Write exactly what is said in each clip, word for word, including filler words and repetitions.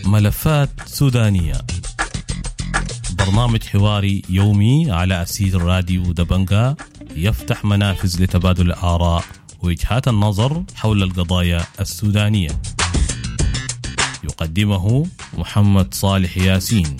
ملفات سودانية، برنامج حواري يومي على أسير راديو دبنجا، يفتح منافذ لتبادل الآراء ووجهات النظر حول القضايا السودانية. يقدمه محمد صالح ياسين.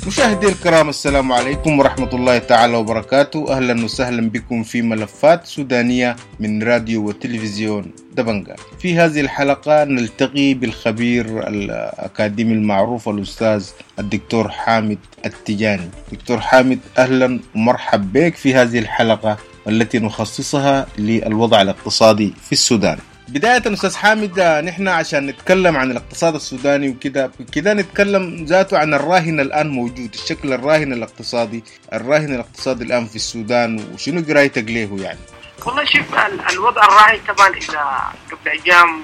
مشاهدي الكرام، السلام عليكم ورحمة الله تعالى وبركاته. أهلا وسهلا بكم في ملفات سودانية من راديو وتلفزيون دبنجا. في هذه الحلقة نلتقي بالخبير الأكاديمي المعروف الأستاذ الدكتور حامد التجاني. دكتور حامد، أهلا ومرحب بك في هذه الحلقة التي نخصصها للوضع الاقتصادي في السودان. بداية أستاذ حامد، نحن عشان نتكلم عن الاقتصاد السوداني وكده كده نتكلم ذاته عن الراهن الآن موجود، الشكل الراهن الاقتصادي، الراهن الاقتصادي الآن في السودان، وشنو قرايتك ليه يعني؟ والله شوف، الوضع الراهن طبعا إذا قبل أيام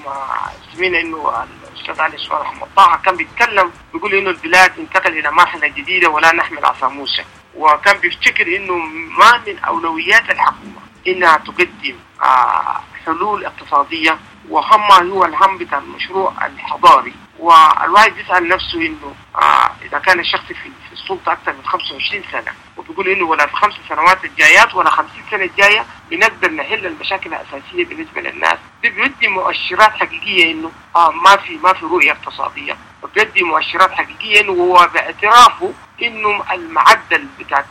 سمعنا إنه الأستاذ علي عثمان محمد طه كان بيتكلم بيقول إنه البلاد انتقل إلى مرحلة جديدة ولا نحمل عصا موسى، وكان بيفتكر إنه ما من أولويات الحكومة إنها تقدم آه حلول اقتصادية، وهم هو الهم بتاع المشروع الحضاري. والواحد بيسأل نفسه إنه آه إذا كان الشخص في, في السلطة أكثر من خمسة وعشرين سنة، وبيقول إنه ولا في خمس سنوات الجايات ولا خمسين سنة الجاية بنقدر نحل المشاكل الأساسية بالنسبة للناس، دي بيدي مؤشرات حقيقية إنه آه ما في ما في رؤية اقتصادية، وبيدي مؤشرات حقيقية إنه هو باعترافه إنه المعدل بتاع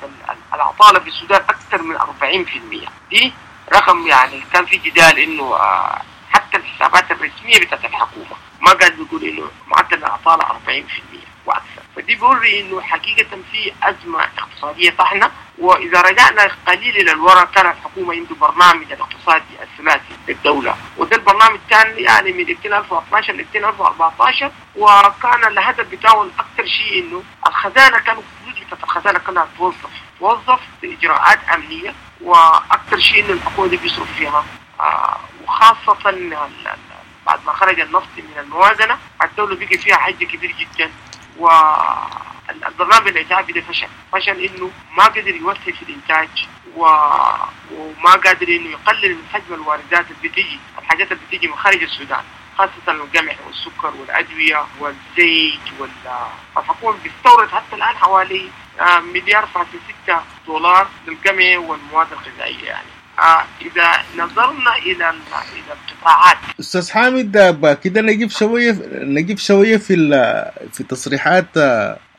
العطالة في السودان أكثر من أربعين بالمئة. دي رقم يعني كان في جدال إنه آه حتى الحسابات الرسمية بتاعت الحكومة ما قاعد بيقول إنه معدل العطالة أربعين بالمئة وأكثر. فدي بيوري إنه حقيقة في أزمة اقتصادية طحنة. وإذا رجعنا قليل إلى الوراء كان الحكومة عنده برنامج الاقتصادي الثلاثي للدولة، وده البرنامج كان يعني من ألفين واثني عشر ل ألفين وأربعة عشر، وكان الهدف بتاعه أكثر شيء إنه الخزانة كانوا الفلوس بتاعت الخزانة كلها توظف توظف بإجراءات أمنية، وأكثر شيء إنه الحكومة دي بيصرف فيها آه وخاصة بعد ما خرج النفط من الموازنة الدولة بقي فيها حج كبير جدا. والبرنامج الإنتاجي ده فشل فشل إنه ما قدر يوسع في الإنتاج، و... وما قادر إنه يقلل من حجم الواردات اللي بتيجي، الحاجات اللي بتيجي من خارج السودان، خاصة القمح والسكر والأدوية والزيت. والحكومة بتستورد حتى الآن حوالي مليار فاصل ستة دولار للقمح والمواد الغذائية. يعني آه إذا نظرنا إلى إلى القطاعات. أستاذ حامد، كده نجيب شوية نجيب شوية في في تصريحات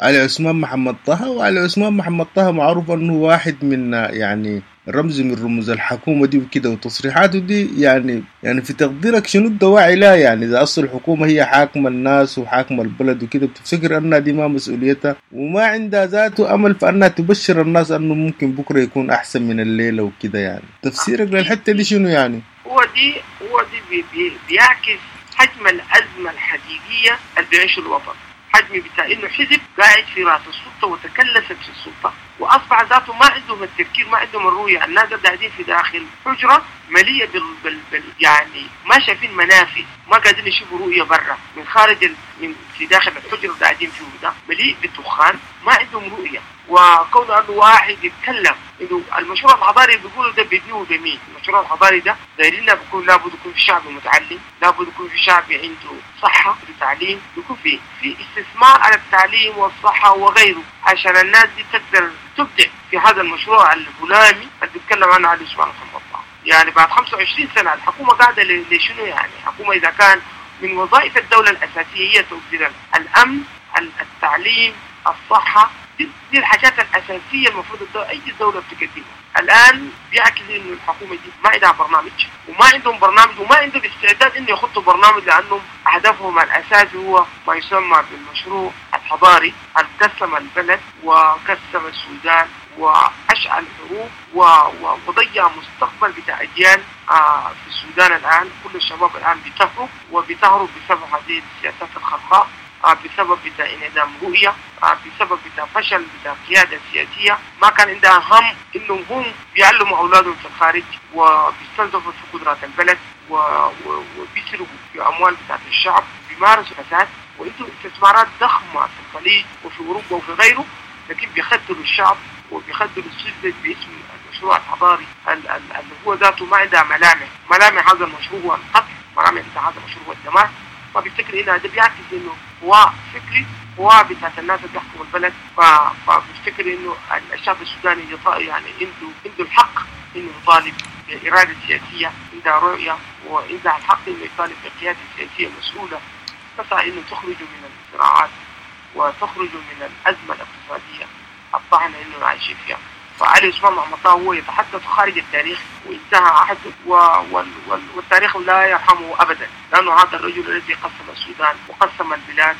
علي عثمان محمد طه. وعلي عثمان محمد طه معروف أنه واحد من يعني رمز من رموز الحكومة دي وكده، وتصريحاته دي يعني يعني في تقديرك شنو الدواعي لا؟ يعني إذا أصل الحكومة هي حاكمة الناس وحاكمة البلد وكده، بتفتكر أنها دي ما مسؤوليتها وما عندها ذاته أمل في أنها تبشر الناس أنه ممكن بكرة يكون أحسن من الليلة وكده؟ يعني تفسيرك للحتة دي شنو يعني؟ هو دي هو دي بي بي بيعكس حجم الأزمة الحقيقية اللي بيعيشه الوطن، حجم بتاع إنه حزب قاعد في رأس السلطة وتكلست في السلطة، وأصبح ذاته ما عندهم التفكير، ما عندهم الرؤية. الناس قاعدين في داخل حجرة مليئة بال, بال, بال يعني ما شايفين منافذ، ما قاعدين يشوفوا رؤية برا من خارج ال... من في داخل الحجرة قاعدين فيه ده مليء بالدخان، ما عندهم رؤية. وكون أنه واحد يتكلم إنه المشروع الحضاري بيقولوا ده بيبنيه بمين؟ المشروع الحضاري ده دايرين بيكون لابد يكون في شعب متعلم، لابد يكون في شعب عنده صحة وتعليم، يكون في في استثمار على التعليم والصحة وغيره عشان الناس دي تقدر تبدع في هذا المشروع الهلامي اللي بيتكلم عنه علي عثمان محمد طه. يعني بعد خمسة وعشرين سنة الحكومة قاعدة لشنو؟ يعني الحكومة إذا كان من وظائف الدولة الأساسية هي توفير الأمن، التعليم، الصحة، دي, دي الحاجات الأساسية المفروض الدولة أي دولة بتقدمها. الآن بيعكس إنه الحكومة دي ما عندها برنامج، وما عندهم برنامج، وما عندهم استعداد إنه يخطوا برنامج، لأنهم هدفهم الأساسي هو ما يسمى بالمشروع الحضاري قسم البلد وقسم السودان وأشعل حروب وضيع مستقبل بتاع أجيال آه في السودان. الآن كل الشباب الآن بتهرب، وبتهرب بسبب هذه السياسات الخرقاء، آه بسبب بتاع انعدام رؤية، آه بسبب بتاع فشل بتاع قيادة سياسية ما كان عندها هم إنهم هم بيعلموا أولادهم في الخارج وبيستنزفوا في قدرات البلد وبيسرقوا في أموال بتاعت الشعب، بيمارسوا فساد. وعنده استثمارات ضخمة في الخليج وفي أوروبا وفي غيره، لكن بيخدروا الشعب وبيخدروا السذج باسم المشروع الحضاري اللي هو ذاته ما عندها ملامح. ملامح هذا المشروع هو القتل، ملامح هذا المشروع هو الدمار. فبيفتكر إنه هذا بيعكس إنه هو فكري، هو بتاعت الناس اللي بيحكموا البلد. فبيفتكر إنه الشعب السوداني يعني عنده عنده الحق إنه يطالب بإرادة سياسية، عندها رؤية، وعندها الحق إنه يطالب بقيادة سياسية مسؤولة تسعى إنه تخرج من الصراعات وتخرج من الأزمة الاقتصادية الطاحنة إنه عايشين فيها. فعلي عثمان محمد طه هو يتحدث خارج التاريخ وانتهى عهده، والتاريخ لا يرحمه أبدا، لأنه هذا الرجل الذي قسم السودان وقسم البلاد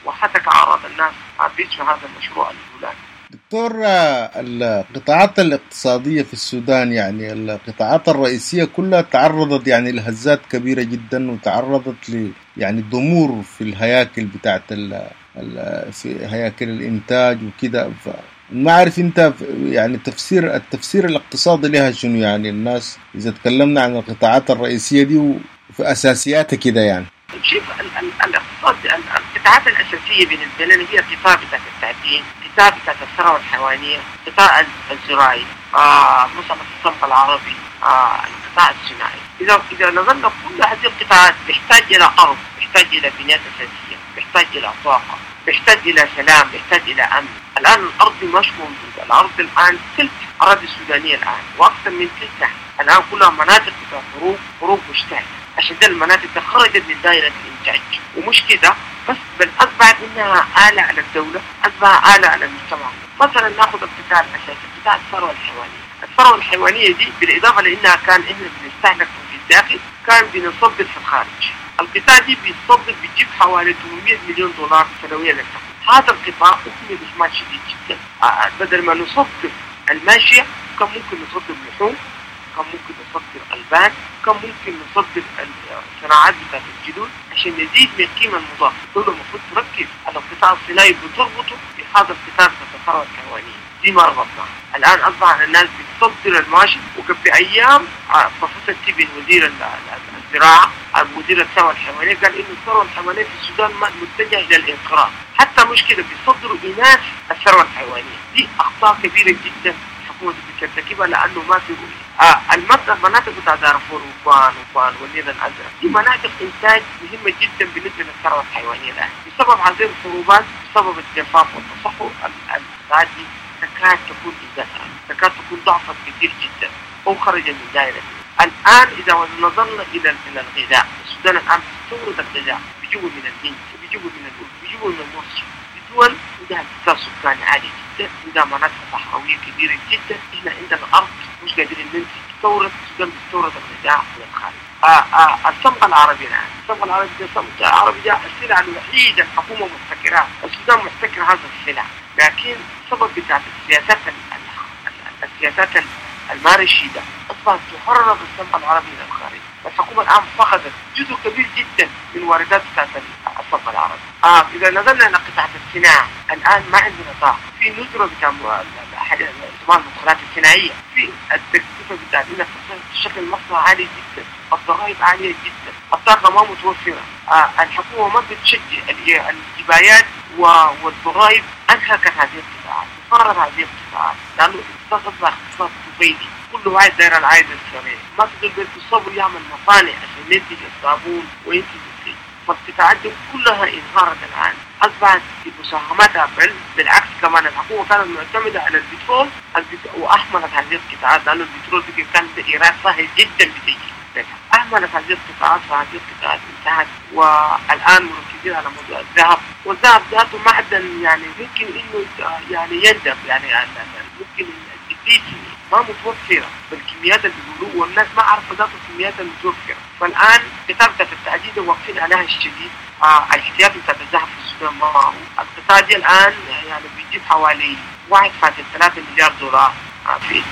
وحتك أعراض الناس باسم هذا المشروع الفلاني. دكتور، القطاعات الاقتصادية في السودان يعني القطاعات الرئيسية كلها تعرضت يعني لهزات كبيرة جدا، وتعرضت ل يعني ضمور في الهياكل بتاعت ال في هياكل الإنتاج وكده. ما أعرف أنت يعني تفسير التفسير الاقتصادي لها شنو؟ يعني الناس إذا تكلمنا عن القطاعات الرئيسية دي وفي أساسياتها كده يعني. شوف، الاقتصاد القطاعات الأساسية بالنسبة لنا هي قطاع بتاعت التعدين، قطاع بتاعت الثروة الحيوانية، قطاع الزراعي، آه، مسألة الصمغ العربي، آه، القطاع الصناعي. إذا إذا نظرنا كل هذه القطاعات بيحتاج إلى أرض، بيحتاج إلى بنيات أساسية، بيحتاج إلى طاقة، بيحتاج إلى سلام، بيحتاج إلى أمن. الآن الأرض مش موجودة، الأرض الآن تلت أراضي السودانية الآن وأكثر من تلتها الآن كلها مناطق بتاع حروب، حروب مشتعلة. عشان ده المناطق خرجت من دائرة الإنتاج، ومش كده بس، بل أصبحت إنها آلة على الدولة، أصبح آلة على المجتمع. مثلا ناخذ القطاع الأساسي، قطاع الثروة الحيوانية. الثروة الحيوانية دي بالإضافة لأنها كان إحنا بنستهلك في الداخل، كان بنصدر في الخارج. القطاع دي بيصدر بيجيب حوالي ثمانمئة مليون دولار سنويا للحكومة. هذا القطاع أهمل إهمال شديد جدا. بدل ما نصدر الماشية كان ممكن نصدر لحوم، كان ممكن نصدر ألبان، كان ممكن نصدر الصناعات بتاعت الجلود عشان نزيد من القيمة المضافة. الدولة المفروض تركز على القطاع الصناعي بتربطه بهذا القطاع بتاع الثروة الحيوانية. دي ما ربطناها. الآن أصبح الناس بتصدر الماشي. وقبل أيام بروفيسور تيبن وزير الزراعة وزير الثروة الحيوانية قال إنه الثروة الحيوانية في السودان متجهة إلى الانقراض. حتى مشكلة بيصدروا إناث الثروة الحيوانية. دي أخطاء كبيرة جدا الحكومة بترتكبها لأنه ما في رؤية. آه المناطق بتاع دارفور وبان وبان والنيل الأزرق دي مناطق إنتاج مهمة جدا بالنسبة للثروة الحيوانية الآن. بسبب هذه الحروبات، بسبب الجفاف والتصحر، القطاعات دي تكاد تكون إزالة، تكاد تكون ضعفت كثير جدا أو خرجت من دائرة. الآن إذا نظرنا إلى إلى الغذاء، السودان الآن بيستورد الغذاء، بيجيبوا من الهند، بيجيبوا من الأردن، بيجيبوا من مصر. دول عندها اكتظاظ سكاني عالي جدا، عندها مناطق صحراوية كبيرة جدا. إحنا عندنا أرض مش قادرين ننتج، تستورد، السودان بيستورد الغذاء من الخارج. آه آه الصمغ العربي الآن، الصمغ العربي ده الصمغ العربي ده السلعة الوحيدة الحكومة محتكرها، السودان محتكر هذا السلع. لكن السبب بتاع السياسات السياسات المارشيدة أصبحت تهرب الصمغ العربي إلى الخارج. الحكومة الآن فقدت جزء كبير جدا من واردات بتاعت الصمغ العربي. آه إذا نظرنا إلى قطاعة الصناعة الآن ما عندنا طاقة، في ندرة بتاع المدخلات الصناعية، في التكلفة بتاعت إنك تشغل المصنع عالي جدا، الضرائب عالية جدا، الطاقة ما متوفرة. آه الحكومة ما بتشجع الجبايات والضرائب، أنهكت هذه القطاعات، فرت هذه القطاعات، لأنه الاقتصاد أصبح اقتصاد طفيلي، كل واحد داير العائد السريع، ما تقدر بالصبر يعمل مصانع عشان ينتج الصابون وينتج الزيت. فالقطاعات دي كلها انهارت الآن، أصبحت بمساهمتها، بل بالعكس كمان الحكومة كانت معتمدة على البترول وأهملت هذه القطاعات، لأنه البترول كان إيراد سهل جدا بتيجي. أهملت هذه القطاعات، فهذه القطاعات انتهت. والآن مركزين على موضوع الذهب، والذهب ذاته معدن يعني ممكن إنه يعني يندب، يعني ممكن الجديد ما متوفرة بالكميات اللي بيقولوه، والناس ما عارفة ذاته الكميات المتوفرة. فالآن كتابة التعديد واقفين عليها الشديد. آه الاحتياط بتاع الذهب في السودان ما معروف. القطاع دي الآن يعني بيجيب حوالي واحد فاصلة ثلاثة مليار دولار في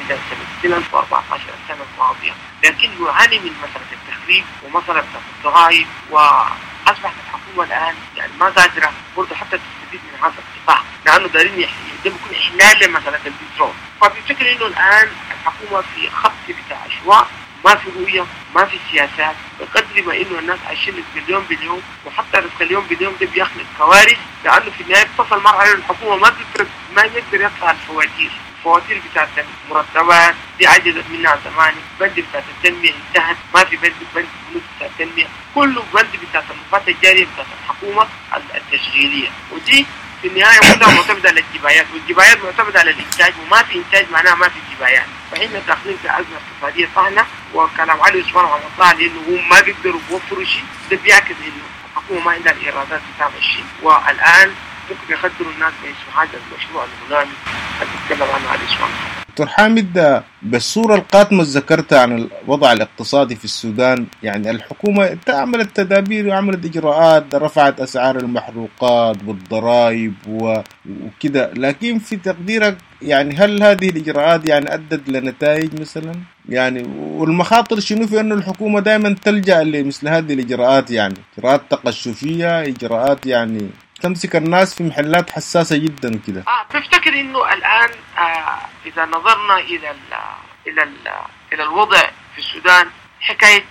سنة ألفين وأربعة عشر السنة الماضية، لكن يعاني من مسألة التخريب ومسألة الضرائب، وأصبحت الحكومة الآن يعني ما قادرة برضه حتى تستفيد من هذا القطاع، لأنه دارين ده بيكون إحلال لمسألة البترول. فبفكر إنه الآن الحكومة في خط بتاع عشواء، ما في رؤية، ما في سياسات، بقدر قدر ما انه الناس عايشين رزق اليوم باليوم، وحتى رزق اليوم باليوم ده بيخلق كوارث، لانه في النهاية بتصل مرحلة الحكومة ما بتقدر ما يقدر يدفع الفواتير، الفواتير بتاعت المرتبات دي عجزت منها زمان، بند بتاعت التنمية انتهت، ما في بند بند بتاع التنمية، كله بند بتاعت المفات الجارية بتاعت الحكومة التشغيلية، ودي في النهاية كلها معتمدة على الجبايات، والجبايات معتمدة على الانتاج، وما في انتاج معناها ما في جبايات. فإحنا داخلين في ازمة اقتصادية طاحنة، وكلام علي عثمان محمد طه لانه هم ما بيقدروا بيوفروا شيء، ده بيعكس انه الحكومة ما عندها الايرادات بتعمل شيء، والان ممكن يخدروا الناس باسم هذا المشروع الهلامي اللي بيتكلم عنه علي عثمان. دكتور حامد، بالصورة القاتمة ذكرتها عن الوضع الاقتصادي في السودان، يعني الحكومة عملت تدابير وعملت إجراءات، رفعت أسعار المحروقات والضرائب وكده، لكن في تقديرك يعني هل هذه الإجراءات يعني أدت لنتائج مثلا؟ يعني والمخاطر شنو في أنه الحكومة دائما تلجأ لمثل هذه الإجراءات، يعني إجراءات تقشفية، إجراءات يعني تمسك الناس في محلات حساسة جدا كده. آه بفتكر إنه الآن آه إذا نظرنا إلى ال إلى ال إلى الوضع في السودان، حكاية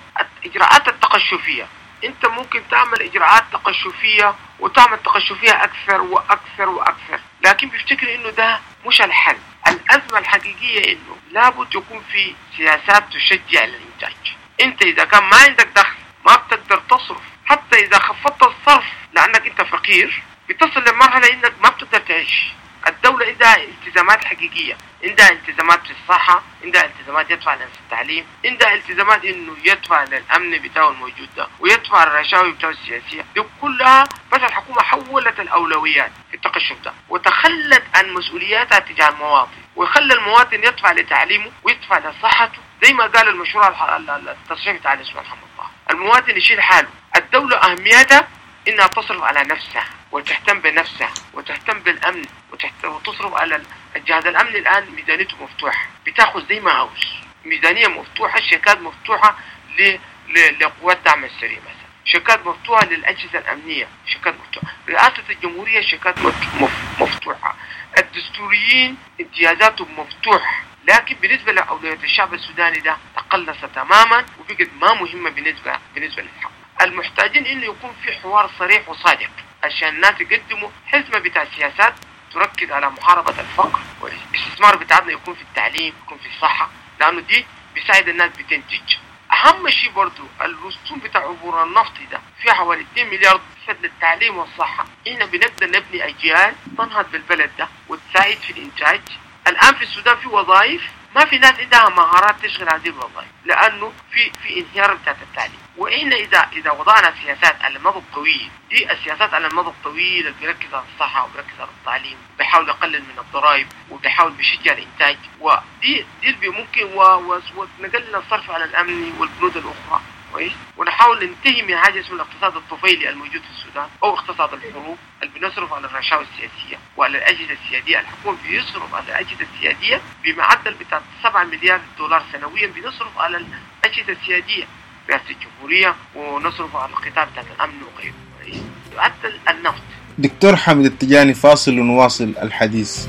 الإجراءات التقشفية، أنت ممكن تعمل إجراءات تقشفية وتعمل تقشفية أكثر وأكثر وأكثر، لكن بفتكر إنه ده مش الحل. الأزمة الحقيقية إنه لابد يكون في سياسات تشجع الإنتاج. أنت إذا كان ما عندك دخل ما بتقدر تصرف، حتى إذا خفضت الصرف لأنك أنت فقير بتصل لمرحلة إنك ما بتقدر تعيش. الدولة عندها التزامات حقيقية، عندها التزامات في الصحة، عندها التزامات يدفع للتعليم، عندها التزامات إنه يدفع للأمن بتاعه الموجود ده، ويدفع الرشاوي بتاعه السياسية دي كلها. بس الحكومة حولت الأولويات في التقشف ده، وتخلت عن مسؤولياتها تجاه المواطن، ويخلى المواطن يدفع لتعليمه ويدفع لصحته، زي ما قال المشروع التصريح بتاع الاسم محمد طه، المواطن يشيل حاله. الدولة أهميتها إنها تصرف على نفسها وتهتم بنفسها وتهتم بالأمن وتصرف على الجهاز الأمني. الآن ميزانيته مفتوحة، بتاخذ زي ما عاوز، ميزانية مفتوحة، شيكات مفتوحة لقوات دعم السريع مثلا، شيكات مفتوحة للأجهزة الأمنية، شيكات مفتوحة رئاسة الجمهورية، شيكات مفتوحة، الدستوريين امتيازاتهم مفتوحة. لكن بالنسبة لأولويات الشعب السوداني ده تقلص تماما وبقت ما مهمة بالنسبة بالنسبة للحكومة. المحتاجين إنه يكون في حوار صريح وصادق عشان الناس يقدموا حزمة بتاع سياسات تركز على محاربة الفقر، والاستثمار بتاعنا يكون في التعليم، يكون في الصحة، لأنه دي بيساعد الناس بتنتج. أهم شيء برضو الرسوم بتاع عبور النفط ده في حوالي اثنين مليار للتعليم والصحة. إحنا بنقدر نبني أجيال تنهض بالبلد ده وتساعد في الإنتاج. الآن في السودان في وظائف ما في ناس عندها مهارات تشغل هذه الوظائف، لأنه في في انهيار بتاعت التعليم. وإحنا إذا إذا وضعنا سياسات على المدى الطويل، دي السياسات على المدى الطويل اللي بيركز على الصحة وبيركز على التعليم، بيحاول يقلل من الضرائب وبيحاول بيشجع الإنتاج، ودي دي اللي ممكن ونقلل الصرف على الأمن والبنود الأخرى، كويس، ونحاول ننتهي من حاجة اسمها الاقتصاد الطفيلي الموجود في السودان أو اقتصاد الحروب اللي بنصرف على الرشاوى السياسية وعلى الأجهزة السيادية. الحكومة بيصرف على الأجهزة السيادية بمعدل بتاع سبعة مليار دولار سنويا، بنصرف على الأجهزة السيادية رئاسة الجمهورية، ونصرف على القطاع بتاع الأمن وغيره، حتى النفط. دكتور حامد التجاني، فاصل ونواصل الحديث.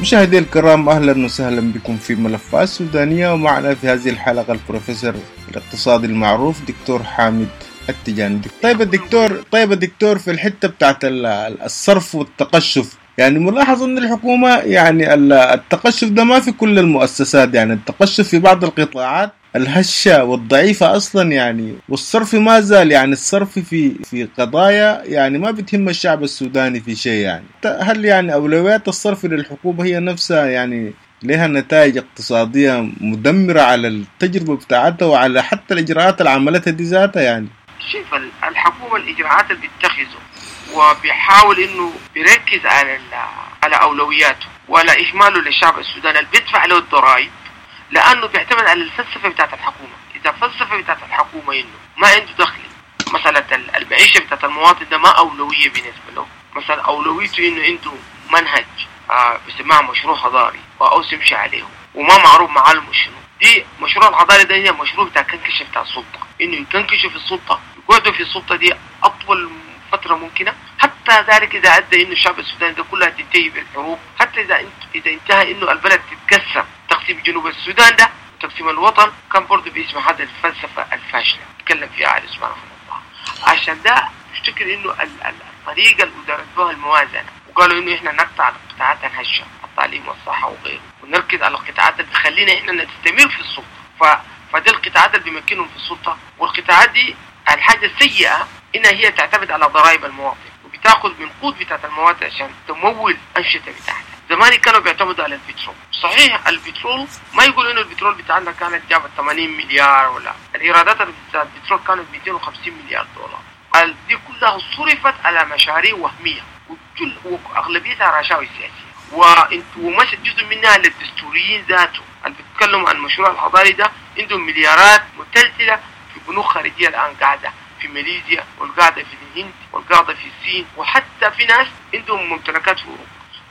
مشاهدي الكرام، أهلا وسهلا بكم في ملفات سودانية، ومعنا في هذه الحلقة البروفيسور الاقتصادي المعروف دكتور حامد التجاني. طيب الدكتور، طيب الدكتور في الحتة بتاعت الصرف والتقشف، يعني ملاحظ ان الحكومة يعني التقشف ده ما في كل المؤسسات، يعني التقشف في بعض القطاعات الهشة والضعيفة أصلا يعني، والصرف ما زال يعني الصرف في في قضايا يعني ما بتهم الشعب السوداني في شيء يعني. هل يعني أولويات الصرف للحكومة هي نفسها يعني لها نتائج اقتصادية مدمرة على التجربة بتاعتها وعلى حتى الإجراءات اللي عملتها دي ذاتها يعني؟ شوف الحكومة الإجراءات اللي بتتخذه وبيحاول إنه بيركز على على أولوياته ولا إهماله للشعب السوداني اللي بيدفع له الضرائب، لأنه بيعتمد على الفلسفة بتاعت الحكومة. إذا الفلسفة بتاعت الحكومة إنه ما عنده دخل، مسألة المعيشة بتاعت المواطن ده ما أولوية بالنسبة له، مثلا أولويته إنه عنده منهج آه بسمعه مشروع حضاري وأوس يمشي عليه وما معروف معالمه شنو. دي مشروع الحضاري ده هي مشروع بتاع كنكشة بتاع السلطة، إنه يكنكشوا في السلطة، يقعدوا في السلطة دي أطول فترة ممكنة، حتى ذلك إذا أدى إنه الشعب السوداني ده كلها تنتهي بالحروب، حتى إذا إذا انتهى إنه البلد تتقسم، تقسيم جنوب السودان ده تقسيم الوطن كان برضه باسم هذا الفلسفة الفاشلة تكلم فيها علي عثمان رحمه الله. عشان ده افتكر إنه الطريقة اللي ادارت بها الموازنة، وقالوا إنه إحنا نقطع القطاعات الهشة، التعليم والصحة وغيره، ونركز على القطاعات اللي بتخلينا إحنا نستمر في السلطة. ف... فدي القطاعات اللي بيمكنهم في السلطة، والقطاعات دي الحاجة السيئة إنها هي تعتمد على ضرائب المواطن وبتاخذ من قوت بتاعت المواطن عشان تمول أنشطة بتاعتها. زمان كانوا بيعتمدوا على البترول، صحيح البترول ما يقولوا إنه البترول بتاعنا كانت جابت ثمانين مليار، ولا الإيرادات بتاعت البترول كانت مئتين وخمسين مليار دولار، دي كلها صرفت على مشاريع وهمية وكل وأغلبيتها رشاوي سياسية، ومشت جزء منها للدستوريين ذاته اللي بيتكلموا عن المشروع الحضاري ده، عندهم مليارات متلتلة في بنوك خارجية الآن قاعدة في ماليزيا والقاعدة في الهند والقاعدة في الصين، وحتى في ناس عندهم ممتلكات في أوروبا.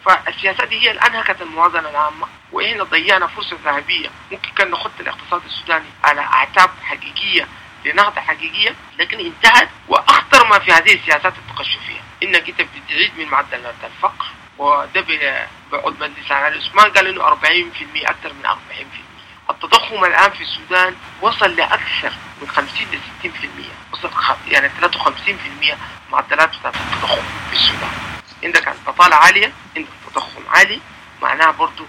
فالسياسات دي هي اللي أنهكت الموازنة العامة، وإحنا ضيعنا فرصة ذهبية ممكن كان نخط الاقتصاد السوداني على أعتاب حقيقية لنهضة حقيقية، لكن انتهت. وأخطر ما في هذه السياسات التقشفية إنك أنت بتعيد من معدلات الفقر، وده بعد مجلس علي عثمان قال إنه أربعين بالمئة، أكثر من أربعين بالمئة. التضخم الآن في السودان وصل لأكثر من خمسين ل ستين بالمئة، وصل يعني ثلاثة وخمسين بالمئة معدلات بتاعت التضخم في السودان. عندك البطالة عالية، عندك تضخم عالي معناها برضو،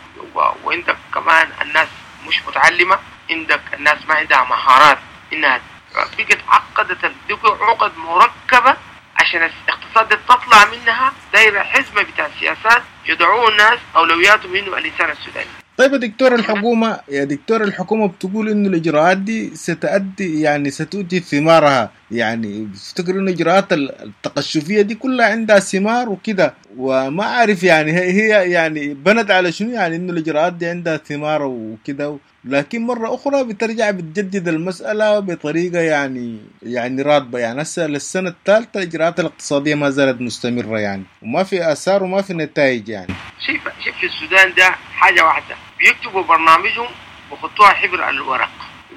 وعندك كمان الناس مش متعلمة، عندك الناس ما عندها مهارات، إنها بقت عقدت عقد مركبة عشان الاقتصاد تطلع منها دايرة حزمة بتاع السياسات يدعون الناس أولوياتهم إنه الإنسان السوداني. طيب يا دكتور الحكومة، يا دكتور الحكومة بتقول إنه الإجراءات دي ستؤدي يعني ستؤتي ثمارها، يعني بتفتكر إنه الإجراءات التقشفية دي كلها عندها ثمار وكده، وما أعرف يعني هي يعني بنت على شنو يعني إنه الإجراءات دي عندها ثمار وكده، لكن مرة أخرى بترجع بتجدد المسألة بطريقة يعني يعني راتبة. يعني هسه للسنة الثالثة الإجراءات الاقتصادية ما زالت مستمرة يعني، وما في آثار وما في نتائج يعني. شايف شايف في السودان ده حاجة واحدة، بيكتبوا برنامجهم وخطوها حبر على الورق،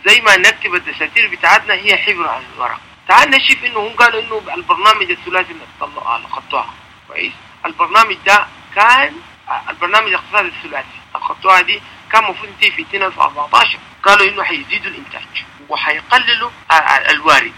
زي ما نكتب الدساتير بتاعتنا هي حبر على الورق. تعال نشوف إنه هم قالوا إنه البرنامج الثلاثي اللي طلعوه خطوها كويس، البرنامج ده كان البرنامج الاقتصادي الثلاثي الخطوها دي كان المفروض ينتهي في ألفين وأربعة عشر، قالوا إنه حيزيدوا الإنتاج وحيقللوا الوارد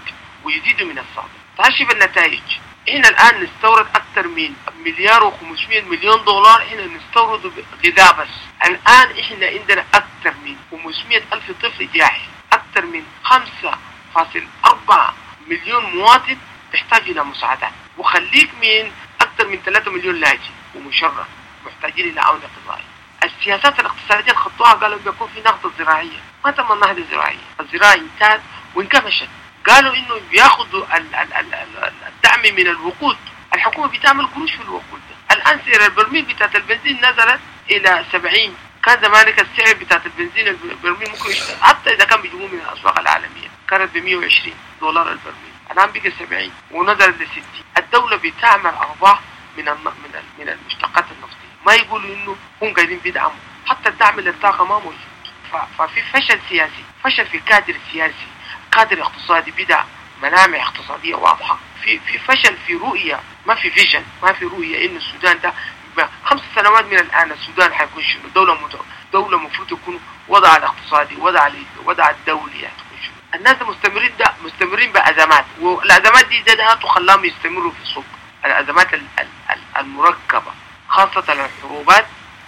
ويزيدوا من الصادر. تعال شوف النتائج، إحنا الآن نستورد أكثر من مليار وخمسمائة مليون دولار، إحنا نستورد غذاء بس. الآن إحنا عندنا أكثر من خمسمائة ألف طفل جاهل، أكثر من خمسة فاصل أربعة مليون مواطن تحتاج إلى مساعدات، وخليك من أكثر من ثلاثة مليون لاجئ ومشرد محتاجين إلى عون غذائي. السياسات الاقتصادية اللي خطوها قالوا بيكون في نهضة زراعية، ما تم النهضة الزراعية، الزراعة انتهت وانكمشت. قالوا إنه بياخذوا الدعم من الوقود، الحكومة بتعمل قروش في الوقود ده. الآن سعر البرميل بتاعت البنزين نزلت إلى سبعين، كان زمانك السعر بتاعت البنزين البرميل ممكن يشتغل حتى إذا كان بيجيبوه من الأسواق العالمية كانت ب مئة وعشرين دولار البرميل، الآن بقى سبعين ونزلت ل ستين. الدولة بتعمل أرباح من من من المشتقات النفطية، ما يقولوا إنه هم قاعدين بيدعموا، حتى الدعم للطاقة ما موجود. ففي فشل سياسي، فشل في الكادر السياسي، كادر اقتصادي بدأ ملامح اقتصادية واضحة، في في فشل في رؤية، ما في فيجن، ما في رؤية إنه السودان ده خمس سنوات من الآن السودان حيكون شنو، دولة مت... دولة المفروض يكون وضع الاقتصادي، وضع وضع الدولي يعني تكون شنو. الناس مستمرين ده مستمرين بأزمات، والأزمات دي زادها وخلاهم يستمروا في السلطة. الأزمات المركبة خاصة الحروبات،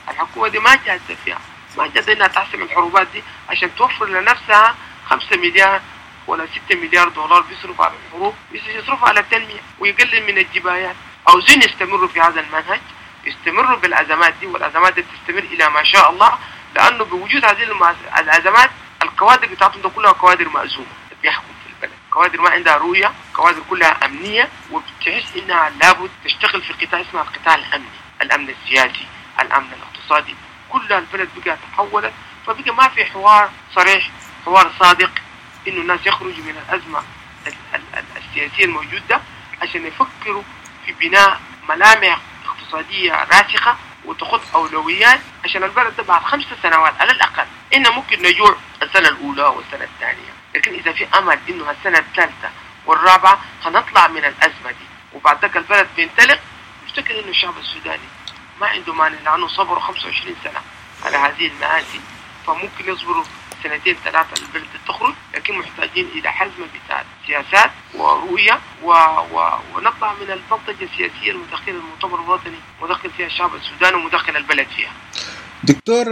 الحكومة دي ما جادة فيها، ما جادة إنها تحسم الحروبات دي عشان توفر لنفسها خمسة مليار ولا ستة مليار دولار بيصرف على الحروب، يصرف على التنمية ويقلل من الجبايات. عاوزين يستمروا في هذا المنهج، يستمروا بالأزمات دي، والأزمات دي تستمر إلى ما شاء الله، لأنه بوجود هذه الأزمات الكوادر بتاعتهم ده كلها كوادر مأزومة بيحكم في البلد، كوادر ما عندها رؤية، كوادر كلها أمنية، وبتحس إنها لابد تشتغل في قطاع اسمه القطاع الأمني، الأمن السياسي، الأمن الاقتصادي، كلها البلد بقى تحولت، فبقى ما في حوار صريح، حوار صادق إنه الناس يخرجوا من الأزمة السياسية الموجودة عشان يفكروا في بناء ملامح اقتصادية راسخة وتخط أولويات عشان البلد ده بعد خمس سنوات على الأقل. إنه ممكن نجوع السنة الأولى والسنة الثانية، لكن إذا في أمل إنه السنة الثالثة والرابعة هنطلع من الأزمة دي وبعد ذاك البلد بينطلق. افتكر إنه الشعب السوداني ما عنده مانع، لأنه صبروا خمسة وعشرين سنة على هذه المآسي، فممكن يصبروا سنتين ثلاثة البلد تخرج، لكن محتاجين إلى حزمة بتاع سياسات ورؤية و... و... ونطلع من البلطجة السياسية المدخلة المؤتمر الوطني، مدخل فيها الشعب السوداني ومدخل البلد فيها. دكتور،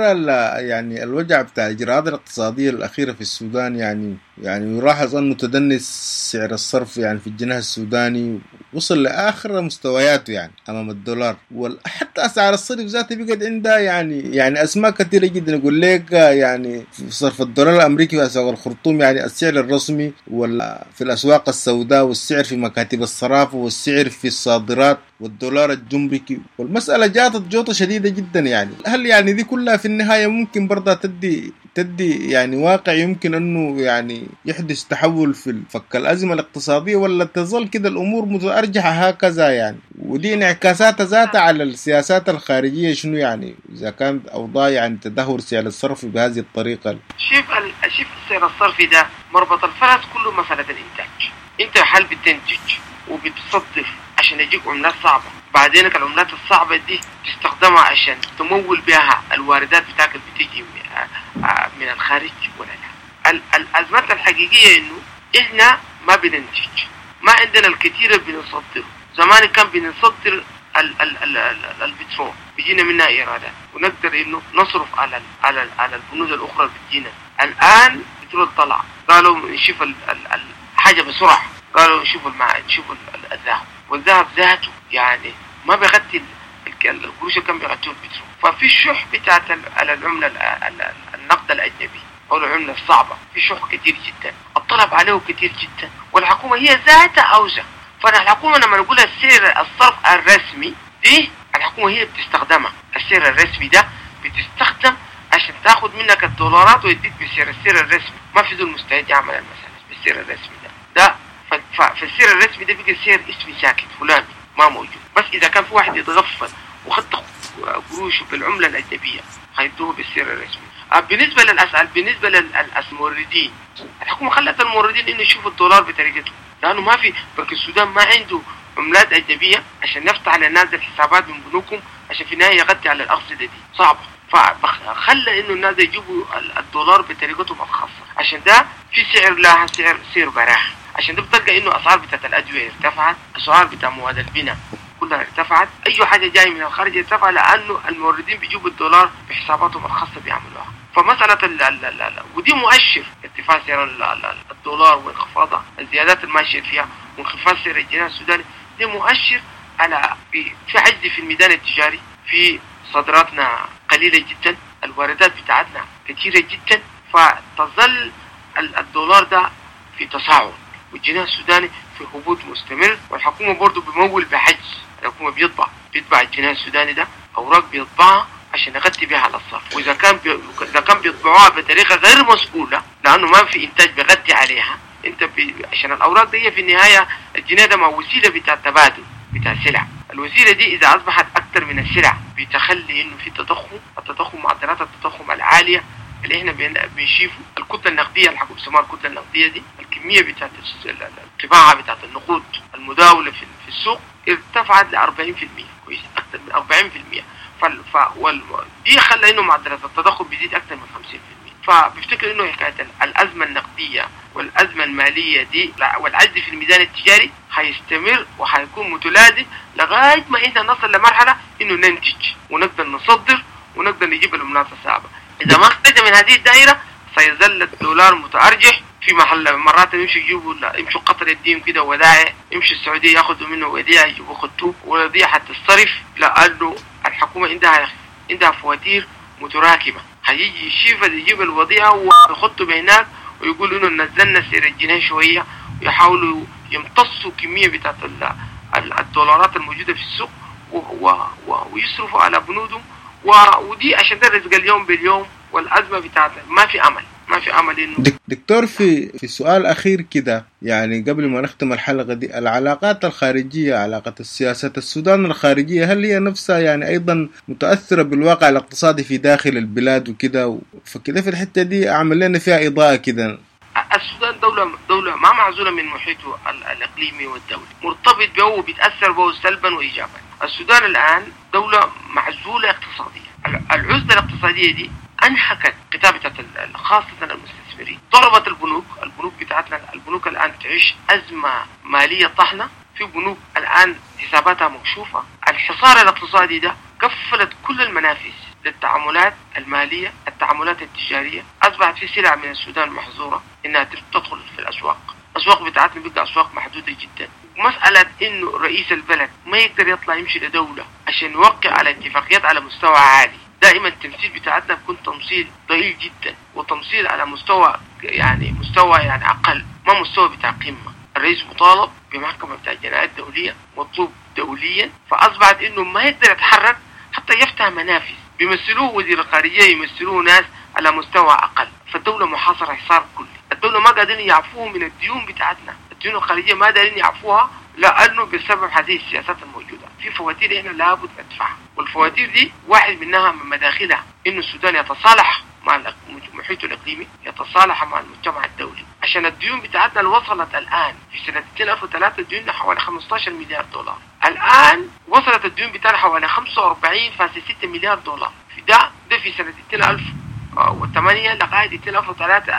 يعني الوجع بتاع الإجراءات الاقتصادية الأخيرة في السودان، يعني يعني يلاحظ أنه تدني سعر الصرف يعني في الجنيه السوداني وصل لآخر مستوياته يعني أمام الدولار، وحتى أسعار الصرف ذاته بقت عندها يعني يعني أسماء كثيرة جدا. يقول لك يعني في صرف الدولار الأمريكي في أسواق الخرطوم يعني السعر الرسمي، ولا في الأسواق السوداء، والسعر في مكاتب الصرافة، والسعر في الصادرات، والدولار الجمركي، والمسألة جاتت جوطة شديدة جدا. يعني هل يعني دي كلها في النهاية ممكن برضه تدي تدي يعني واقع يمكن أنه يعني يحدث تحول في فك الأزمة الاقتصادية، ولا تظل كده الأمور متأرجحة هكذا يعني؟ ودي انعكاسات ذاتها على السياسات الخارجية شنو يعني إذا كانت أوضاع يعني تدهور سعر الصرف بهذه الطريقة؟ شوف ال... شوف سعر الصرف ده مربط الفرس كله مسألة الإنتاج. أنت هل بتنتج وبتصدر عشان يجيك عملات صعبة، بعدين العملات الصعبة دي تستخدمها عشان تمول بها الواردات بتاعك اللي بتيجي من الخارج ولا لا؟ الأزمات الحقيقية إنه إحنا ما بننتج، ما عندنا الكثير بنصدره. زمان كان بنصدر ال ال ال ال البترول بيجينا منها إيرادات ونقدر إنه نصرف على ال على ال على البنود الأخرى اللي بتجينا. الآن البترول طلع، قالوا نشوف الحاجة بسرعة، قالوا نشوف الماء، نشوف الذهب، والذهب ذاته يعني ما بيغطي القروش اللي كان بيغطيه البترول. ففي شح بتاعت العملة النقد الأجنبي أو العملة الصعبة، في شح كتير جدا، الطلب عليه كتير جدا، والحكومة هي ذاتها عاوزة. فالحكومة لما نقول السعر الصرف الرسمي دي، الحكومة هي بتستخدمها، السعر الرسمي ده بتستخدم عشان تاخد منك الدولارات ويديك بسعر السعر الرسمي. ما في ذو المستعد يعمل المسألة بالسعر الرسمي ده ده فالسعر الرسمي ده بيجي سعر اسمي ساكت فلاني ما موجود. بس إذا كان في واحد يتغفل وخد قروشه بالعملة الأجنبية هيدوه بالسعر الرسمي. بالنسبة للأسعار، بالنسبة للموردين، الحكومة خلت الموردين إنه يشوفوا الدولار بطريقته، لأنه ما في بنك السودان ما عنده عملات أجنبية عشان يفتح للناس الحسابات من بنوكهم عشان في النهاية يغطي على الأرصدة دي، صعبة. فخلى إنه الناس يجيبوا الدولار بطريقتهم الخاصة، عشان ده في سعر لها سعر سعر براح. عشان ده بتلقى إنه أسعار بتاعت الأدوية ارتفعت، أسعار بتاع مواد البناء كلها ارتفعت، أي حاجة جاية من الخارج ارتفع، لأنه الموردين بيجيبوا الدولار بحساباتهم الخاصة بيعملوها. فمسألة ال ال ال ال ودي مؤشر ارتفاع سعر الدولار وانخفاضه، الزيادات الماشية فيها وانخفاض سعر الجنيه السوداني، دي مؤشر على في عجز في الميدان التجاري، في صادراتنا قليلة جدا، الواردات بتاعتنا كثيرة جدا، فتظل الدولار ده في تصاعد والجنيه السوداني في هبوط مستمر. والحكومة برضو بمول بحجز، الحكومة بيطبع بيطبع الجنيه السوداني ده أوراق بيطبعها عشان يغطي بها على الصرف، وإذا كان بي... إذا كان بيطبعوها بطريقة غير مسؤولة لأنه ما في إنتاج بيغطي عليها، أنت بي... عشان الأوراق دي في النهاية الجنيه ده ما وسيلة بتاع تبادل بتاع سلع، الوسيلة دي إذا أصبحت أكثر من السلع بتخلي إنه في تضخم، التضخم معدلات التضخم العالية اللي إحنا بنشوفه، الكتلة النقدية اللي حكوا بيسموها الكتلة النقدية دي، الكمية بتاعت الطباعة بتاعت النقود المداولة في السوق ارتفعت ل أربعين بالمئة، كويس أكثر من أربعين بالمئة. فال ف وال دي خلى إنه معدلات التضخم بيزيد أكثر من خمسين بالمئة. فبفتكر انه حكاية الازمة النقدية والازمة المالية دي والعجز في الميزان التجاري حيستمر وحيكون متلازم لغاية ما احنا نصل لمرحلة انه ننتج ونقدر نصدر ونقدر نجيب العملات الصعبة. اذا ما خرجنا من هذه الدائرة سيظل الدولار متارجح في محل. مرات يمشوا يجيبوا يمشوا قطر يديهم كده ودائع، يمشوا السعودية ياخذوا منه وديعة يجيبوا خطوة وديعة الصرف، لانه الحكومة عندها عندها فواتير متراكمه. هيجي الشيفة يجيب الوضيعه ويحطوا بهناك ويقولوا انه نزلنا سعر الجنيه شوية، ويحاولوا يمتصوا كمية بتاعت الدولارات الموجودة في السوق ويصرفوا على بنودهم، ودي عشان ده رزق اليوم باليوم. والازمة بتاعت ما في امل، ما في امل انه. دكتور في في سؤال اخير كده يعني قبل ما نختم الحلقة دي، العلاقات الخارجية، علاقة السياسة السودان الخارجية، هل هي نفسها يعني ايضا متاثرة بالواقع الاقتصادي في داخل البلاد وكده؟ فكده في الحتة دي اعمل لنا فيها اضاءه كده. السودان دولة دولة ما معزولة من محيطه الاقليمي والدولي، مرتبط به وبيتاثر به سلبا وايجابا. السودان الان دولة معزولة اقتصاديا، العزلة الاقتصادية دي انهكت قطاع خاصة المستثمرين، ضربت البنوك، البنوك بتاعتنا البنوك الآن تعيش أزمة مالية طحنة، في بنوك الآن حساباتها مكشوفة. الحصار الاقتصادي ده قفلت كل المنافذ للتعاملات المالية، التعاملات التجارية، أصبحت في سلع من السودان محظورة إنها تدخل في الأسواق، الأسواق بتاعتنا بقى أسواق محدودة جدا. مسألة إنه رئيس البلد ما يقدر يطلع يمشي لدولة عشان يوقع على اتفاقيات على مستوى عالي، دائما التمثيل بتاعتنا بيكون تمثيل ضئيل جدا، وتمثيل على مستوى يعني مستوى يعني اقل، ما مستوى بتاع قمة. الرئيس مطالب بمحكمه بتاع الجنايات الدولية، مطلوب دوليا، فاصبحت انه ما يقدر يتحرك حتى يفتح منافذ، بيمثلوه وزير الخارجية، يمثلوه ناس على مستوى اقل. فالدولة محاصرة حصار كلي، الدولة ما قادرين يعفوه من الديون بتاعتنا، الديون الخارجية ما قادرين يعفوها لانه بسبب هذه السياسات الموجودة. في فواتير احنا لابد ندفعها، والفواتير دي واحد منها من مداخلها انه السودان يتصالح مع محيطه الاقليمي، يتصالح مع المجتمع الدولي، عشان الديون بتاعتنا اللي وصلت الان في سنة ألفين وثلاثة ديوننا حوالي خمسة عشر مليار دولار، الان وصلت الديون بتاعنا حوالي خمسة وأربعين فاصلة ستة مليار دولار، في ده ده في سنة ألفين وثمانية لغاية ألفين وثلاثة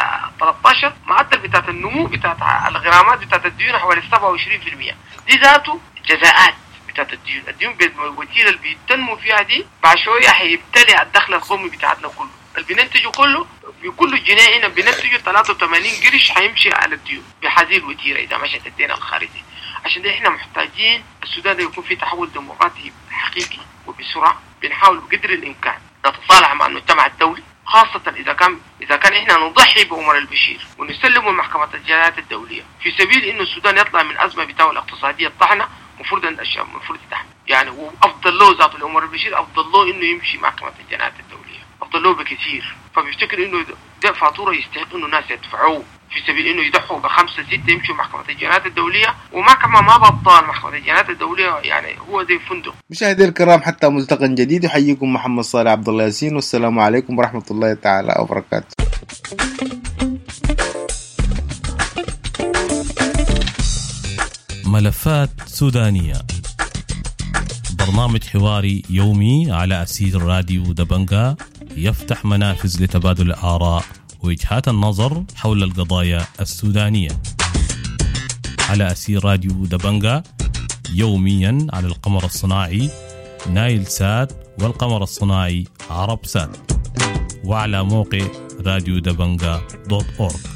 عشر معدل بتاعت النمو بتاعت الغرامات بتاعت الديون حوالي سبعة وعشرين بالمئة. دي ذاته جزاءات بتاعت الديون، الديون بالوتيره اللي بيتنمو فيها دي بعد شوية هيبتلع الدخل القومي بتاعتنا كله، اللي بننتجه كله بكل جنيه هنا بننتجه ثلاثة وثمانين قرش هيمشي على الديون بهذه الوتيره اذا مشت الدين الخارجي. عشان ده احنا محتاجين السودان ده يكون فيه تحول ديمقراطي حقيقي وبسرعة. بنحاول بقدر الامكان نتصالح مع المجتمع الدولي، خاصة إذا كان إذا كان إحنا نضحي بعمر البشير ونسلمه لمحكمة الجنايات الدولية في سبيل إنه السودان يطلع من أزمة بتاعه الاقتصادية الطحنة، المفروض أن الشعب المفروض يتحمل يعني، وأفضل له ذاته لعمر البشير أفضل له إنه يمشي محكمة الجنايات الدولية، أفضل له بكثير. فبيفتكر إنه ده فاتورة يستحق إنه الناس يدفعوه في سبيل إنه يضحوا بخمسة ستة يمشوا محكمة الجنايات الدولية، ومحكمة ما بطال محكمة الجنايات الدولية يعني هو زي فندق. مشاهدي الكرام، حتى ملتقى جديد، يحييكم محمد صالح عبد الله ياسين، والسلام عليكم ورحمة الله تعالى وبركاته. ملفات سودانية، برنامج حواري يومي على أسير راديو دبنجا، يفتح منافذ لتبادل الآراء ووجهات النظر حول القضايا السودانية على أسير راديو دبنجا، يوميا على القمر الصناعي نايل سات والقمر الصناعي عرب سات، وعلى موقع راديو دبنجا دوت أورج.